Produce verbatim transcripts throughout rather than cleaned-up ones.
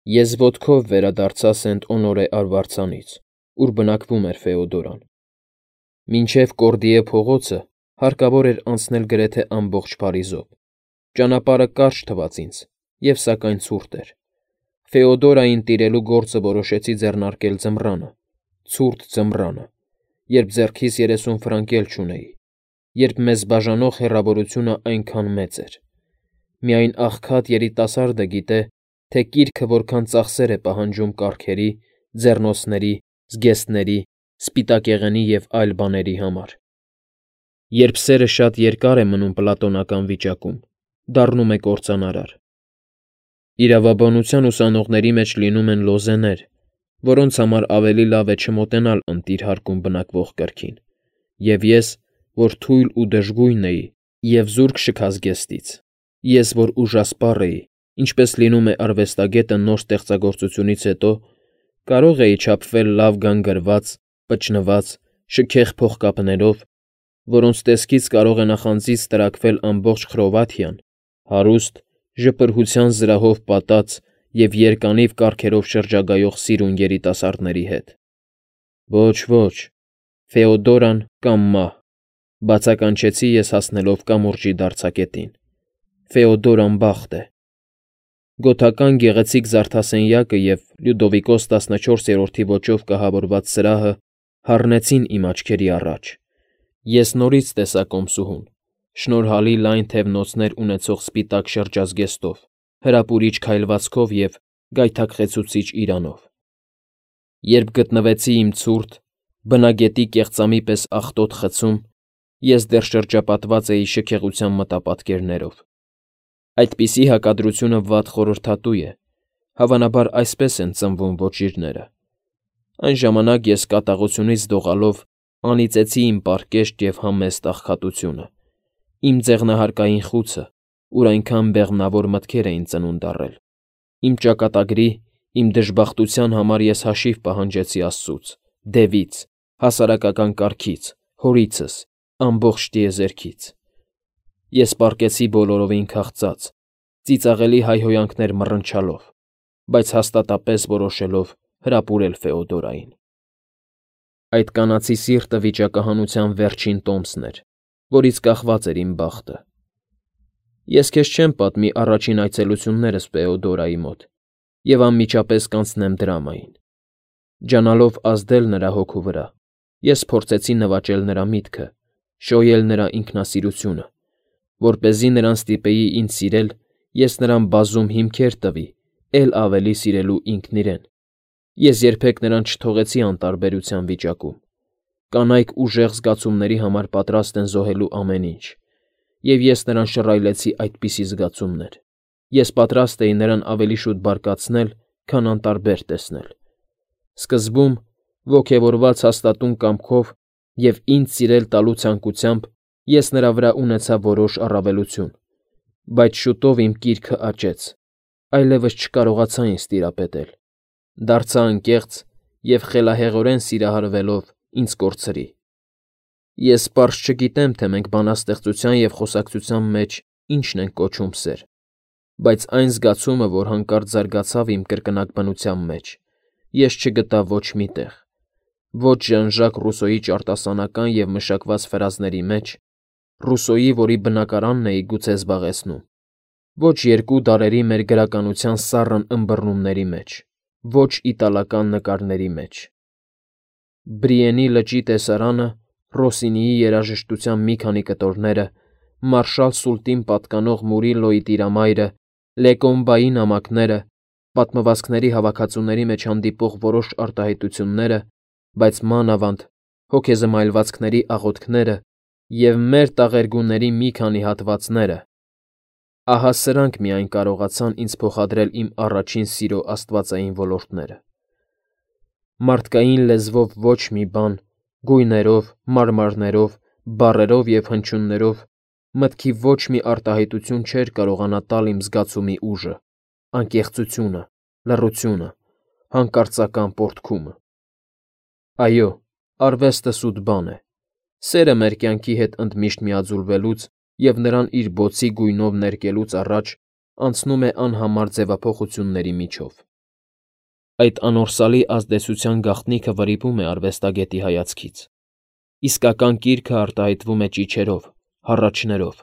Ես ոտքով վերադարձա Սենտ Օնորե արվարձանից, ուր բնակվում էր Ֆեոդորան։ Մինչև Կորդիե փողոցը հարկավոր էր անցնել գրեթե ամբողջ Փարիզով։ Ճանապարհը կարճ թվաց ինձ, և սակայն ցուրտ էր։ Ֆեոդորային տիրելու գործը որոշեցի ձեռնարկել ձմռանը, ցուրտ ձմռանը, երբ ձեռքիս երեսուն ֆրանկ էլ չունեի, երբ մեզ բաժանող հեռավորությունը այնքան մեծ էր։ Միայն աղքատ երիտասարդը գիտե, թե կիրքը որքան ծախսեր է պահանջում կառքերի, ձեռնոցների, զգեստների, սպիտակեղենի և այլ բաների համար։ Երբ սերը շատ երկար է մնում պլատոնական վիճակում, դառնում է կործանարար։ Իրավաբանության ուսանողների մեջ լինում են լոզեներ, որոնց համար ավելի լավ է չմոտենալ ընտիր հարկում բնակվող կրքին, և ես, որ թույլ ու դժգույն էի և զուրկ շքազգեստից, ես, որ ուժասպառ էի, ինչպես լինում է արվեստագետը նոր ստեղծագործությունից հետո, կարող էի չափվել լավ գանգրված, պճնված, շքեղ փողկապներով, որոնց տեսքից կարող է նախանձից տրաքվել ամբողջ Խրովաթիան, հարուստ, ժպրհության զրահով պատած և երկանիվ կառքերով շրջագայող սիրուն երիտասարդների հետ։ Ոչ, ոչ, Ֆեոդորան կամ մահ, բացականչեցի ես հասնելով կամուրջի դարձակետին։ Ֆեոդորան բախտ է։ Գոթական գեղեցիկ զարդասենյակը և Լյուդովիկոս տասնչորսերորդի ոճով կահավորված սրահը հառնեցին իմ աչքերի առաջ։ Ես նորից տեսա կոմսուհուն, շնորհալի լայն թևնոցներ ունեցող սպիտակ շրջազգեստով, հրապուրիչ քայլվածքով և գայթակղեցուցիչ իրանով։ Երբ գտնվեցի իմ ցուրտ, բնագետի կեղծամի պես աղտոտ խցում, ես դեռ շրջապատված էի շքեղության մտապատկերներով։ Այդպիսի հակադրությունը վատ խորհրդատու է, հավանաբար այսպես են ծնվում ոճիրները։ Այն ժամանակ ես կատաղությունից դողալով անիծեցի իմ պարկեշտ և համեստ աղքատությունը, իմ ձեղնահարկային խուցը, ուր այնքան բեղմնավոր մտքեր էին ծնունդ առել։ Իմ ճակատագրի, իմ դժբախտության համար ես հաշիվ պահանջեցի աստծուց, դևից, հասարակական կարգից, հորիցս, ամբողջ տիեզերքից։ Ես պառկեցի բոլորովին քաղծած, ծիծաղելի հայհոյանքներ մռնչալով, բայց հաստատապես որոշելով հրապուրել Ֆեոդորային։ Այդ կանացի սիրտը վիճակահանության վերջին տոմսն էր, որից կախված էր իմ բախտը։ Ես քեզ չեմ պատմի առաջին այցելություններս Ֆեոդորայի մոտ և անմիջապես կանցնեմ դրամային։ Ջանալով ազդել նրա հոգու վրա, ես փորձեցի նվաճել նրա միտքը, շոյել նրա ինքնասիրությունը, որպեսզի նրան ստիպեի ինձ սիրել, ես նրան բազում հիմքեր տվի էլ ավելի սիրելու ինքն իրեն։ Ես երբեք նրան չթողեցի անտարբերության վիճակում։ Կանայք ուժեղ զգացումների համար պատրաստ են զոհելու ամեն ինչ, և ես նրան շռայլեցի այդպիսի զգացումներ։ Ես պատրաստ էի նրան ավելի շուտ բարկացնել, քան անտարբեր տեսնել։ Սկզբում, ոգևորված հաստատուն կամքով և ինձ սիրել տալու ցանկությամբ, ես նրա վրա ունեցա որոշ առավելություն, բայց շուտով իմ կիրքը աճեց, այլևս չկարողացա ինձ տիրապետել, դարձա անկեղծ և խելահեղորեն սիրահարվելով ինձ կորցրի։ Ես պարզ չգիտեմ, թե մենք բանաստեղծության և խոսակցության մեջ ինչն ենք կոչում սեր, բայց այն զգացումը, որ հանկարծ զարգացավ իմ կրկնակ բնության մեջ, ես չգտա ոչ մի տեղ, ոչ Ժան֊Ժակ Ռուսոյի ճարտասանական և մշակված ֆրազների մեջ, Ռուսոյի, որի բնակարանն էի գուցե զբաղեցնում, ոչ երկու դարերի մեր գրականության սառն ըմբռնումների մեջ, ոչ իտալական նկարների մեջ։ Բրիենի լճի տեսարանը, Ռոսինիի երաժշտության մի քանի կտորները, Մարշալ Սուլտին պատկանող Մուրիլոյի տիրամայրը, Լեկոմբայի նամակները, պատմվածքների հավաքածուների մեջ հանդիպող որոշ արտահայտությունները, բայց մանավանդ հոգեզմայլվածքների աղոթքները և մեր տաղերգուների մի քանի հատվածները, ահա սրանք միայն կարողացան ինձ փոխադրել իմ առաջին սիրո աստվածային ոլորտները։ Մարդկային լեզվով ոչ մի բան, գույներով, մարմարներով, բառերով և հնչյուններով մտքի ոչ մի արտահայտություն չէր կարողանա տալ իմ զգացումի ուժը, անկեղծությունը, լռությունը, հանկարծական պոռթկումը։ Այո, արվեստը սուտ բան է։ Սերը մեր կյանքի հետ ընդմիշտ միաձուլվելուց և նրան իր բոցի գույնով ներկելուց առաջ անցնում է անհամար ձևափոխությունների միջով։ Այդ անորսալի ազդեցության գաղտնիքը վրիպում է արվեստագետի հայացքից։ Իսկական կիրքը արտահայտվում է ճիչերով, հառաչներով,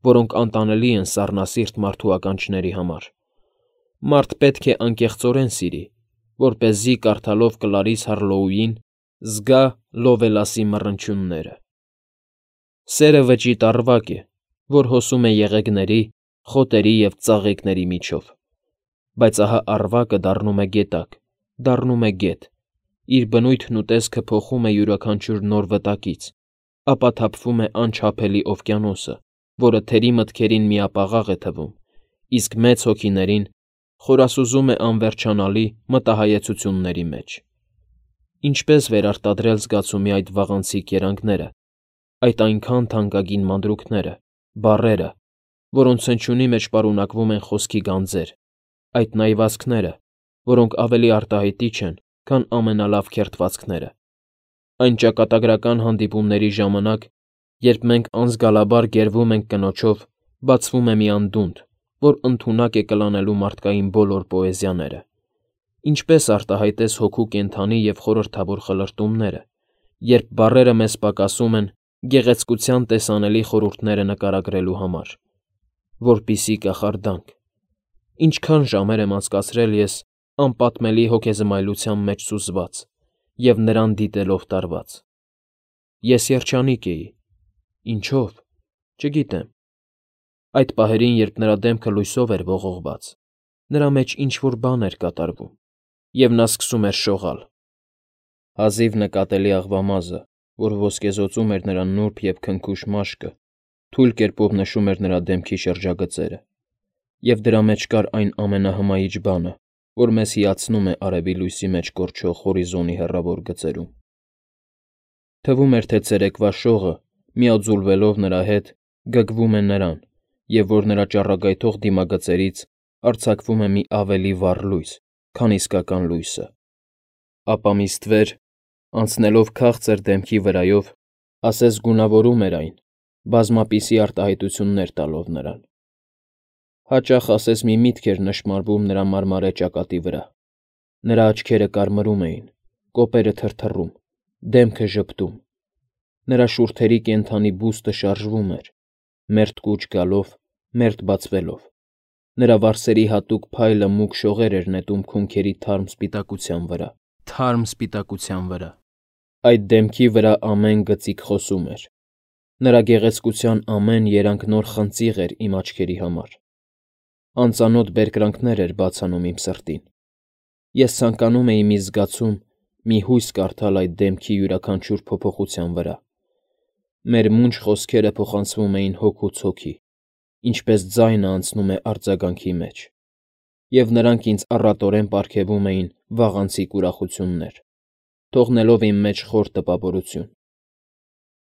որոնք անտանելի են սառնասիրտ մարդու ականջների համար։ Մարդ պետք է անկեղծորեն սիրի, որպեսզի կարդալով Կլարիս Հարլոուին զգա Լովելասի մռնչյունները։ Սերը վճիտ առվակ է, որ հոսում է եղեգների, խոտերի և ծաղիկների միջով, բայց ահա առվակը դառնում է գետակ, դառնում է գետ, իր բնույթն ու տեսքը փոխում է յուրաքանչյուր նոր վտակից, ապա թափվում է անչափելի օվկիանոսը, որը թերի մտքերին միապաղաղ է թվում, իսկ մեծ հոգիներին խորասուզում է անվերջանալի մտահայեցությունների մեջ։ Ինչպես վերարտադրել զգացումի այդ վաղանցիկ երանգները, այդ այնքան թանկագին մանրուքները, բառերը, որոնց հնչյունի մեջ պարունակվում են խոսքի գանձեր, այդ նայվածքները, որոնք ավելի արտահայտիչ են, քան ամենալավ քերթվածքները, այն ճակատագրական հանդիպումների ժամանակ, երբ մենք անզգալաբար գերվում ենք կնոջով, բացվում է մի անդունդ, որ ընդունակ է կլանելու մարդկային բոլոր պոեզիաները։ Ինչպես արտահայտես հոգու կենդանի և խորհրդավոր խլրտումները, երբ բառերը մեզ պակասում են գեղեցկության տեսանելի խորհուրդները նկարագրելու համար, որպիսի կախարդանք։ Ինչքան ժամեր եմ անցկացրել ես անպատմելի հոգեզմայլության մեջ սուզված և նրան դիտելով տարված։ Ես երջանիկ էի։ Ինչո՞վ, չգիտեմ։ Այդ պահերին, երբ նրա դեմքը լույսով էր ողողված, նրա մեջ ինչ֊որ բան էր կատարվում, և նա սկսում էր շողալ։ Հազիվ նկատելի աղվամազը, որ ոսկեզօծում էր նրա նուրբ և քնքուշ մաշկը, թույլ կերպով նշում էր նրա դեմքի շրջագծերը, և դրա մեջ կար այն ամենահմայիչ բանը, որ մեզ հիացնում է արևի լույսի մեջ կորչող հորիզոնի հեռավոր գծերում։ Թվում էր, թե ցերեկվա շողը, միաձուլվելով նրա հետ, գգվում է նրան, և որ նրա ճառագայթող դիմագծերից արձակվում է մի ավելի վառ լույս, քան իսկական լույսը։ Ապա մի ստվեր, անցնելով քաղցր դեմքի վրայով, ասես գունավորում էր այն, բազմապիսի արտահայտություններ տալով նրան։ Հաճախ ասես մի միտք էր նշմարվում նրա մարմարե ճակատի վրա։ Նրա աչքերը կարմրում էին, կոպերը թրթռում, դեմքը ժպտում։ Նրա շուրթերի կենդանի բուստը շարժվում էր, մերթ կուչ գալով, մերթ բացվելով։ Նրա վարսերի հատուկ փայլը մուգ շողեր էր նետում քունքերի թարմ սպիտակության վրա, թարմ սպիտակության վրա։ Այդ դեմքի վրա ամեն գծիկ խոսում էր։ Նրա գեղեցկության ամեն երանգ նոր խնձիղ էր իմ աչքերի համար։ Անծանոթ բերկրանքներ էր բաց անում իմ սրտին։ Ես ցանկանում էի մի զգացում, մի հույս կարդալ այդ դեմքի յուրաքանչյուր փոփոխության վրա։ Մեր մունջ խոսքերը փոխանցվում էին հոգուց հոգի, ինչպես ձայնը անցնում է արձագանքի մեջ, և նրանք ինձ առատորեն պարգևում էին վաղանցիկ ուրախություններ, թողնելով իմ մեջ խոր տպավորություն։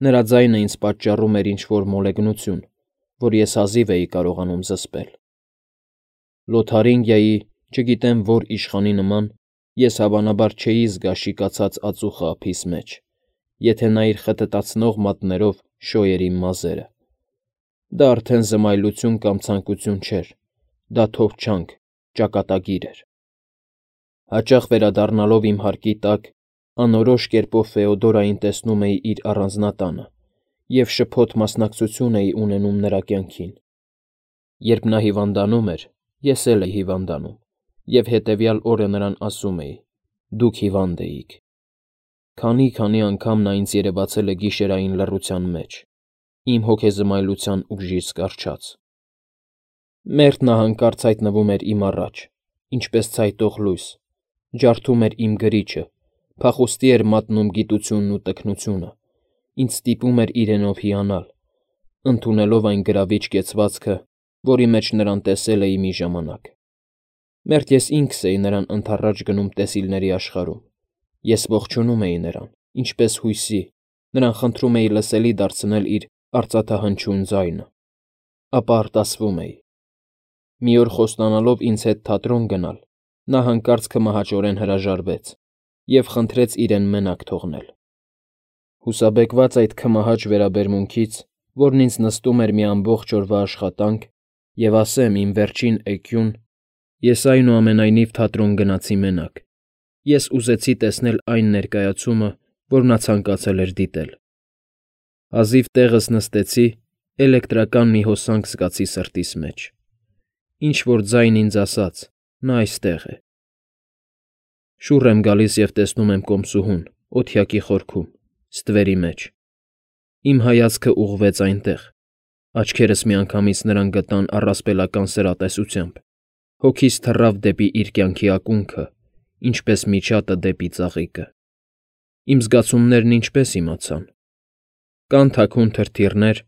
Նրա ձայնը ինձ պատճառում էր ինչ֊որ մոլեգնություն, որ ես հազիվ էի կարողանում զսպել։ Լոթարինգիայի, չգիտեմ որ իշխանի նման, ես հավանաբար չէի զգա շիկացած ածուխը ափիս մեջ, եթե նա իր խտտացնող մատներով շոյեր իմ մազերը։ Դա արդեն զմայլություն կամ ցանկություն չէր, դա թովչանք, ճակատագիր էր։ Հաճախ վերադառնալով իմ հարկի տակ, անորոշ կերպով Ֆեոդորային տեսնում էի իր առանձնատանը և շփոթ մասնակցություն էի ունենում նրա կյանքին։ Երբ նա հիվանդանում էր, ես էլ էի հիվանդանում, և հետևյալ օրը նրան ասում էի. «Դուք հիվանդ էիք»։ Քանի՜֊քանի անգամ նա ինձ երևացել է գիշերային լռության մեջ, իմ հոգեզմայլության ուժից կառչած։ Մերթ նա հանկարծ հայտնվում էր իմ առաջ, ինչպես ցայտող լույս, ջարդում էր իմ գրիչը, փախուստի էր մատնում գիտությունն ու տքնությունը, ինձ ստիպում էր իրենով հիանալ, ընդունելով այն գրավիչ կեցվածքը, որի մեջ նրան տեսել էի մի ժամանակ։ Մերթ ես ինքս էի նրան ընդառաջ գնում տեսիլների աշխարհում։ Ես ողջունում էի նրան, ինչպես հույսի, նրան խնդրում էի լսելի դարձնել իր արծաթահնչյուն ձայնը։ Ապա արտասվում էի։ Մի օր խոստանալով ինձ հետ թատրոն գնալ, նա հանկարծ քմահաճորեն հրաժարվեց և խնդրեց իրեն մենակ թողնել։ Հուսաբեկված այդ քմահաճ վերաբերմունքից, որն ինձ նստում էր մի ամբողջ օրվա աշխատանք, և ասեմ իմ վերջին էկյուն, ես այնուամենայնիվ թատրոն գնացի մենակ, Ես ուզեցի տեսնել այն ներկայացումը, որ նա ցանկացել էր դիտել։ Հազիվ տեղս նստեցի, էլեկտրական մի հոսանք զգացի սրտիս մեջ։ Ինչ-որ ձայն ինձ ասաց. նա այստեղ է։ Շուռ եմ գալիս և տեսնում եմ կոմսուհուն, օդյակի խորքում, ստվերի մեջ։ Իմ հայացքը ուղղվեց այնտեղ, աչքերս միանգամից նրան գտան առասպելական սրատեսությամբ, հոգիս թռավ դեպի իր կյանքի ակունքը, ինչպես միջատը դեպի ծաղիկը։ Իմ զգացումներն ինչպես իմացան։ Կան թաքուն թրթիռներ,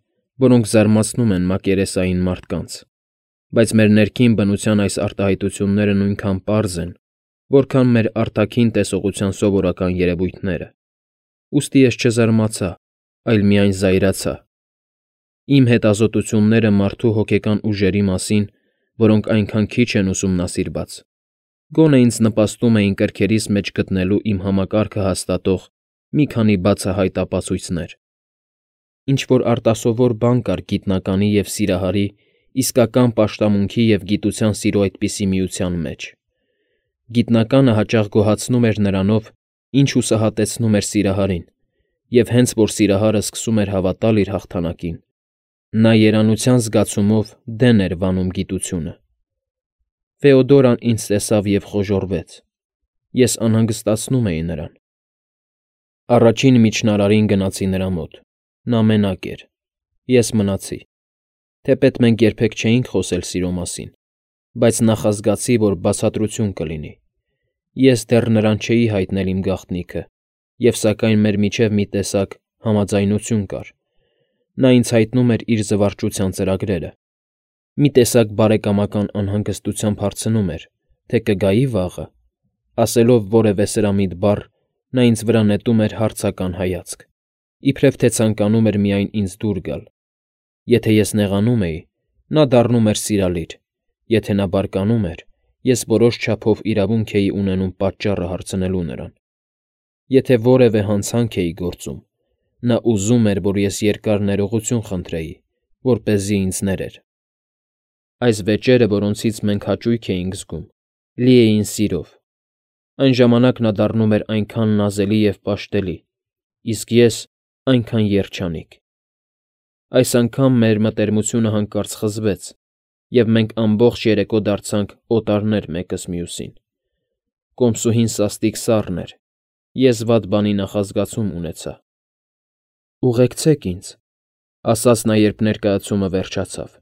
որոնք զարմացնում են մակերեսային մարդկանց, բայց մեր ներքին բնության այս արտահայտությունները նույնքան պարզ են, որքան մեր արտաքին տեսողության սովորական երևույթները։ Ուստի ես չզարմացա, այլ միայն զայրացա։ Իմ հետազոտությունները մարդու հոգեկան ուժերի մասին, որոնք այնքան քիչ են ուսումնասիրված, գոնե ինձ նպաստում էին կրքերիս մեջ գտնելու իմ համակարգը հաստատող մի քանի բացահայտ ապացույցներ։ Ինչ-որ արտասովոր բան կար գիտնականի և սիրահարի, իսկական պաշտամունքի և գիտության սիրո այդպիսի միության մեջ։ Գիտնականը հաճախ գոհացնում էր նրանով, ինչ հուսահատեցնում էր սիրահարին, և հենց որ սիրահարը սկսում էր հավատալ իր հաղթանակին, նա երանության զգացումով դեն էր վանում գիտությունը։ Ֆեոդորան ինձ տեսավ և խոժոռվեց։ Ես անհանգստացնում էի նրան։ Առաջին միջնարարին գնացի նրա մոտ։ Նա մենակ էր։ Ես մնացի։ Թեպետ մենք երբեք չէինք խոսել սիրո մասին, բայց նախազգացի, որ բացատրություն կլինի։ Ես դեռ նրան չէի հայտնել իմ գաղտնիքը, և սակայն մեր միջև մի տեսակ համաձայնություն կար։ Նա ինձ հայտնում էր իր զվարճության ծրագրերը։ Մի տեսակ բարեկամական անհանգստությամբ հարցնում էր, թե կգայի վաղը։ Ասելով որևէ սրամիտ բառ, նա ինձ վրա նետում էր հարցական հայացք, իբրև թե ցանկանում էր միայն ինձ դուր գալ։ Եթե ես նեղանում էի, նա դառնում էր սիրալիր, եթե նա բարկանում էր, ես որոշ չափով իրավունք էի ունենում պատճառը հարցնելու նրան։ Եթե որևէ հանցանք էի գործում, նա ուզում էր, որ ես երկար ներողություն խնդրեի, որպեսզի ինձ ներեր։ Այս վեճերը, որոնցից մենք հաճույք էինք զգում, լի էին սիրով։ Այն ժամանակ նա դառնում էր այնքան նազելի և պաշտելի, իսկ ես այնքան երջանիկ։ Այս անգամ մեր մտերմությունը հանկարծ խզվեց, և մենք ամբողջ երեկո դարձանք օտարներ մեկս մյուսին։ Կոմսուհին սաստիկ սառն էր։ Ես վատ բանի նախազգացում ունեցա։ «Ուղեկցեք ինձ», ֊ ասաց նա, երբ ներկայացումը վերջացավ։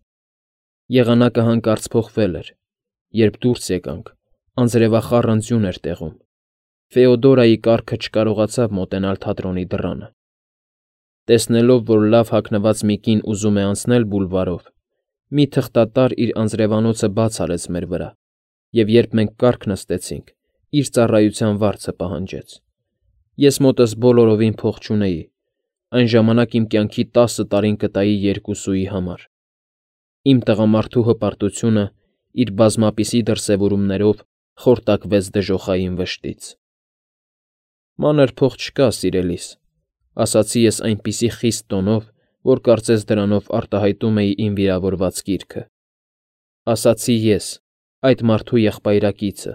Եղանակը հանկարծ փոխվել էր։ Երբ դուրս եկանք, անձրևախառն ձյուն էր տեղում։ Ֆեոդորայի կառքը չկարողացավ մոտենալ թատրոնի դռանը։ Տեսնելով, որ լավ հագնված մի կին ուզում է անցնել բուլվարով, մի թղթատար իր անձրևանոցը բաց արեց մեր վրա, և երբ մենք կառք նստեցինք, իր ծառայության վարձը պահանջեց։ Ես մոտս բոլորովին փող չունեի, այն ժամանակ իմ կյանքի տասը տարին կտայի երկուսուի համար։ Իմ տղամարդու հպարտությունը իր բազմապիսի դրսևորումներով խորտակվեց դժոխային վշտից։ «Մանր փող չկա, սիրելիս», ֊ ասացի ես այնպիսի խիստ տոնով, որ կարծես դրանով արտահայտում էի իմ վիրավորված գիրքը։ Ասացի ես, այդ մարդու եղբայրակիցը,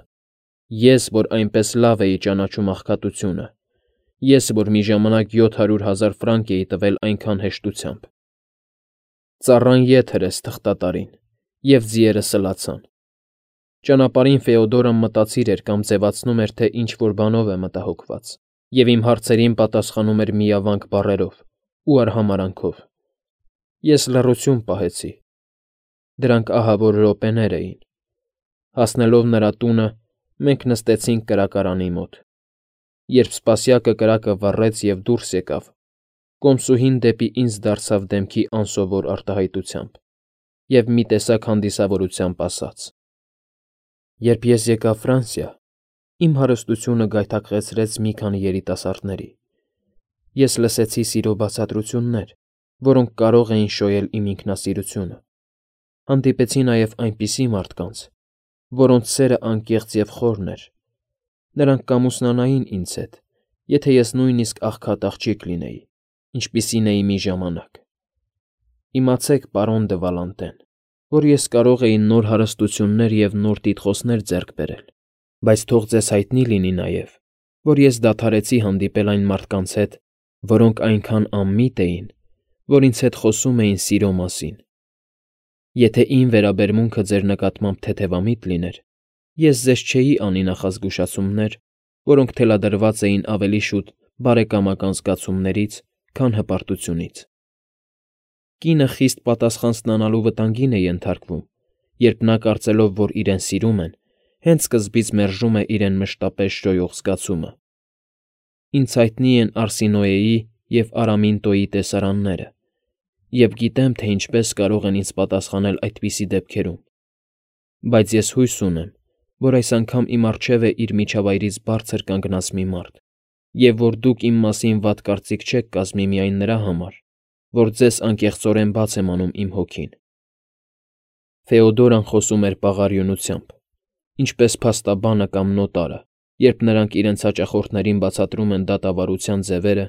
ես, որ այնպես լավ էի ճանաչում աղքատությունը, ես, որ մի ժամանակ յոթ հարյուր հազար ֆրանկ էի տվել այնքան հեշտությամբ։ Ծառան ետ հրեց թղթատարին, և ձիերը սլացան։ Ճանապարհին Ֆեոդորան մտածիր էր կամ ձևացնում էր, թե ինչ֊որ բանով է մտահոգված, և իմ հարցերին պատասխանում էր միավանք բառերով ու արհամարհանքով։ Ես լռություն պահեցի։ Դրանք ահավոր րոպեներ էին։ Հասնելով նրա տունը, մենք նստեցինք կրակարանի մոտ։ Երբ սպասյակը կրակը վառեց և դուրս եկավ, կոմսուհին դեպի ինձ դարձավ դեմքի անսովոր արտահայտությամբ և մի տեսակ հանդիսավորությամբ ասաց. «Երբ ես եկա Ֆրանսիա, իմ հարստությունը գայթակղեցրեց մի քանի երիտասարդների։ Ես լսեցի սիրո բացատրություններ, որոնք կարող էին շոյել իմ ինքնասիրությունը։ Հանդիպեցի նաև այնպիսի մարդկանց, որոնց սերը անկեղծ և խորն էր։ Նրանք կամուսնանային ինձ հետ, եթե ես նույնիսկ աղքատ աղջիկ լինեի, ինչպիսին էի մի ժամանակ։ Իմացեք, պարոն դը Վալանտեն, որ ես կարող էի նոր հարստություններ և նոր տիտղոսներ ձեռք բերել, Բայց թող ձեզ հայտնի լինի նաև, որ ես դադարեցի հանդիպել այն մարդկանց հետ, որոնք այնքան անմիտ էին, որ ինձ հետ խոսում էին սիրո մասին։ Եթե իմ վերաբերմունքը ձեր նկատմամբ թեթևամիտ լիներ, ես ձեզ չէի անի նախազգուշացումներ, որոնք թելադրված էին ավելի շուտ բարեկամական զգացումներից, քան հպարտությունից։ Կինը խիստ պատասխան ստանալու վտանգին է ենթարկվում, երբ նա կարծելով, որ իրեն սիրում են, հենց սկզբից մերժում է իրեն մշտապես շոյող զգացումը։ Ինձ հայտնի են Արսինոեի և Արամինտոյի տեսարանները, և գիտեմ, թե ինչպես կարող են ինձ պատասխանել այդպիսի դեպքերում, բայց ես հույս ունեմ, որ այս անգամ իմ առջև է իր միջավայրից բարձր կանգնած մի մարդ, և որ դուք իմ մասին վատ կարծիք չեք կազմի միայն նրա համար, որ ձեզ անկեղծորեն բաց եմ անում իմ հոգին։ Ֆեոդորան խոսում էր պաղարյունությամբ, ինչպես փաստաբանը կամ նոտարը, երբ նրանք իրենց հաճախորդներին բացատրում են դատավարության ձևերը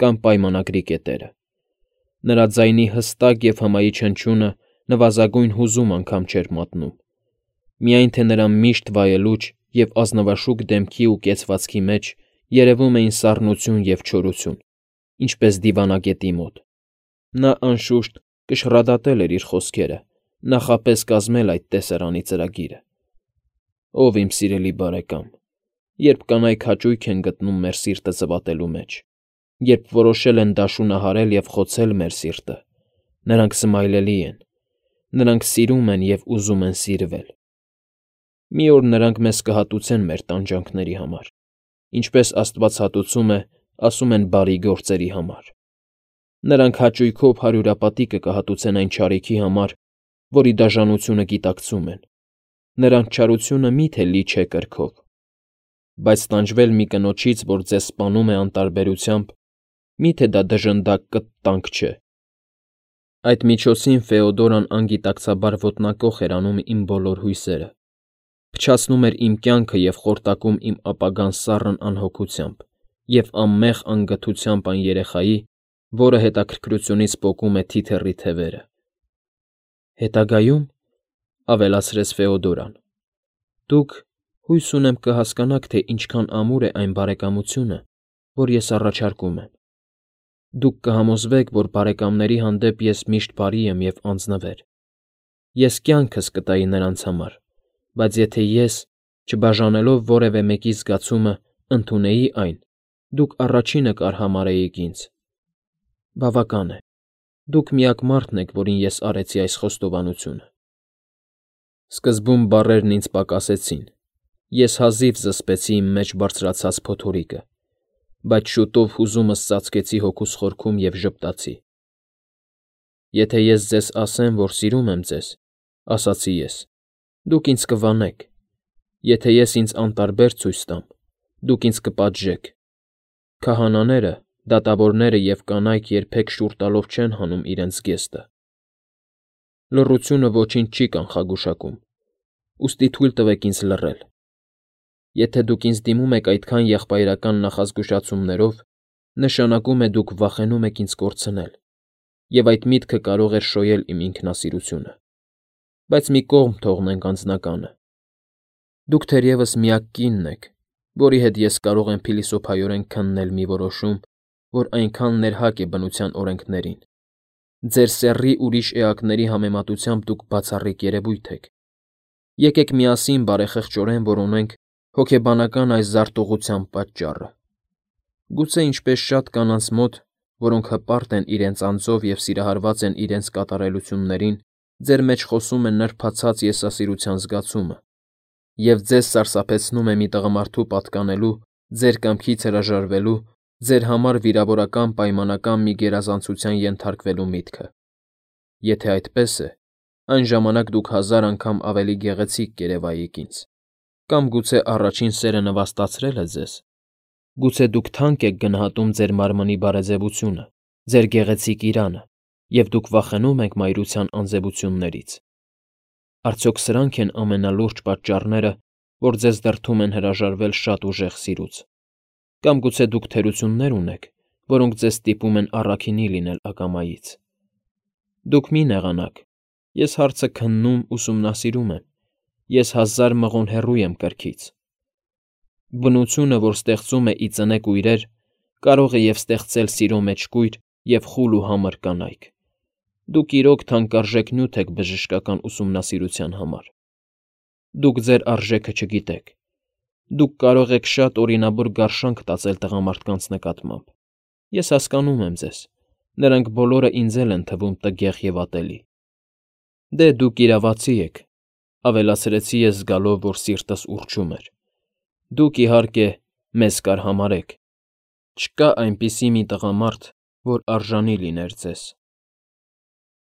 կամ պայմանագրի կետերը։ Նրա ձայնի հստակ և հմայիչ հնչյունը նվազագույն հուզում անգամ չէր մատնում, միայն թե նրա միշտ վայելուչ և ազնվաշուք դեմքի ու կեցվածքի մեջ երևում էին սառնություն և չորություն, ինչպես դիվանագետի մոտ։ Նա, անշուշտ, կշռադատել էր իր խոսքերը, նախապես կազմել այդ տեսարանի ծրագիրը։ Ով իմ սիրելի բարեկամ, երբ կանայք հաճույք են գտնում մեր սիրտը ծվատելու մեջ, երբ որոշել են դաշունահարել և խոցել մեր սիրտը, նրանք սմայլելի են, նրանք սիրում են և ուզում են սիրվել։ Մի օր նրանք մեզ կհատուցեն մեր տանջանքների համար, ինչպես Աստված հատուցում է, ասում են բարի գործերի համար։ Նրանք հաճույքով հարյուրապատիկը կհատուցեն այն չարիքի համար, որի դաժանությունը գիտակցում են։ Նրանց չարությունը մի՞թե լի չէ կրքով։ Բայց տանջվել մի կնոջից, որ ձեզ սպանում է անտարբերությամբ, մի՞թե դա դժնդակ կտտանք չէ։ Այդ միջոցին Ֆեոդորան անգիտակցաբար ոտնակոխ էր անում իմ բոլոր հույսերը, փչացնում էր իմ կյանքը և խորտակում իմ ապագան սառն անհոգությամբ և անմեղ անգթությամբ այն երեխայի, որը հետաքրքրությունից պոկում է թիթեռի թևերը։ Հետագայում, ավելացրեց Ֆեոդորան, դուք, հույս ունեմ, կհասկանաք, թե ինչքան ամուր է այն բարեկամությունը, որ ես առաջարկում եմ։ Դուք կհամոզվեք, որ բարեկամների հանդեպ ես միշտ բարի եմ և անձնվեր։ Ես կյանքս կտայի նրանց համար, բայց եթե ես, չբաժանելով որևէ մեկի զգացումը, ընդունեի այն, դուք առաջինը կարհամարհեիք ինձ։ Բավական է, դուք միակ մարդն եք, որին ես արեցի այս խոստովանությունը։ Սկզբում բառերն ինձ պակասեցին, ես հազիվ զսպեցի իմ մեջ բարձրացած փոթորիկը, բայց շուտով հուզումս ծածկեցի հոգուս խորքում և ժպտացի։ Եթե ես ձեզ ասեմ, որ սիրում եմ ձեզ, ասացի ես, դուք ինձ կվանեք, եթե ես ինձ անտարբեր ցույց տամ, դուք ինձ կպատժեք։ Քահանաները, դատավորները և կանայք երբեք շուռ տալով չեն հանում իրենց զգեստը։ Լռությունը ոչինչ չի կանխագուշակում, ուստի թույլ տվեք ինձ լռել։ Եթե դուք ինձ դիմում եք այդքան եղբայրական նախազգուշացումներով, նշանակում է դուք վախենում եք ինձ կորցնել, և այդ միտքը կարող էր շոյել իմ ինքնասիրությունը։ Բայց մի կողմ թողնենք անձնականը։ Դուք թերևս միակ կինն եք, որի հետ ես կարող եմ փիլիսոփայորեն քննել մի որոշում, որ այնքան ներհակ է բնության օրենքներին։ Ձեր սեռի ուրիշ էակների համեմատությամբ դուք բացառիկ երևույթ եք։ Եկեք միասին բարեխղճորեն որոնենք հոգեբանական այս զարտուղղության պատճառը։ Գուցե ինչպես շատ կանանց մոտ, որոնք հպարտ են իրենց անձով և սիրահարված են իրենց կատարելություններին, ձեր մեջ խոսում է նրբացած եսասիրության զգացումը, և ձեզ սարսափեցնում է մի տղամարդու պատկանելու, ձեր կամքից հրաժարվելու, ձեր համար վիրավորական պայմանական մի գերազանցության ենթարկվելու միտքը։ Եթե այդպես է, այն ժամանակ դուք հազար անգամ ավելի գեղեցիկ կերևայիք ինձ, կամ գուցե առաջին սերը նվաստացրել է ձեզ։ Գուցե դուք թանկ եք գնահատում ձեր մարմնի բարեձևությունը, ձեր գեղեցիկ իրանը, և դուք վախենում եք մայրության անձևություններից։ Արդյոք սրա՞նք են ամենալուրջ պատճառները, որ ձեզ դրդում են հրաժարվել շատ ուժեղ սիրուց։ Կամ գուցե դուք թերություններ ունեք, որոնք ձեզ ստիպում են առաքինի լինել ակամայից։ Դուք մի նեղանաք, ես հարցը քննում, ուսումնասիրում եմ, ես հազար մղոն հեռու եմ կրքից, Բնությունը, որ ստեղծում է ի ծնե կույրեր, կարող է և ստեղծել սիրո մեջ կույր և խուլ ու համր կանայք։ Դուք իրոք թանկարժեք նյութ եք բժշկական ուսումնասիրության համար։ Դուք ձեր արժեքը չգիտեք։ Դուք կարող եք շատ օրինավոր գարշանք տածել տղամարդկանց նկատմամբ, ես հասկանում եմ ձեզ, նրանք բոլորը ինձ էլ են թվում տգեղ և ատելի։ Դե, դուք իրավացի եք,֊ ավելացրեցի ես զգալով, որ սիրտս ուռչում էր։ Դուք, իհարկե, մեզ կարհամարհեք։ Չկա այնպիսի մի տղամարդ, որ արժանի լիներ ձեզ։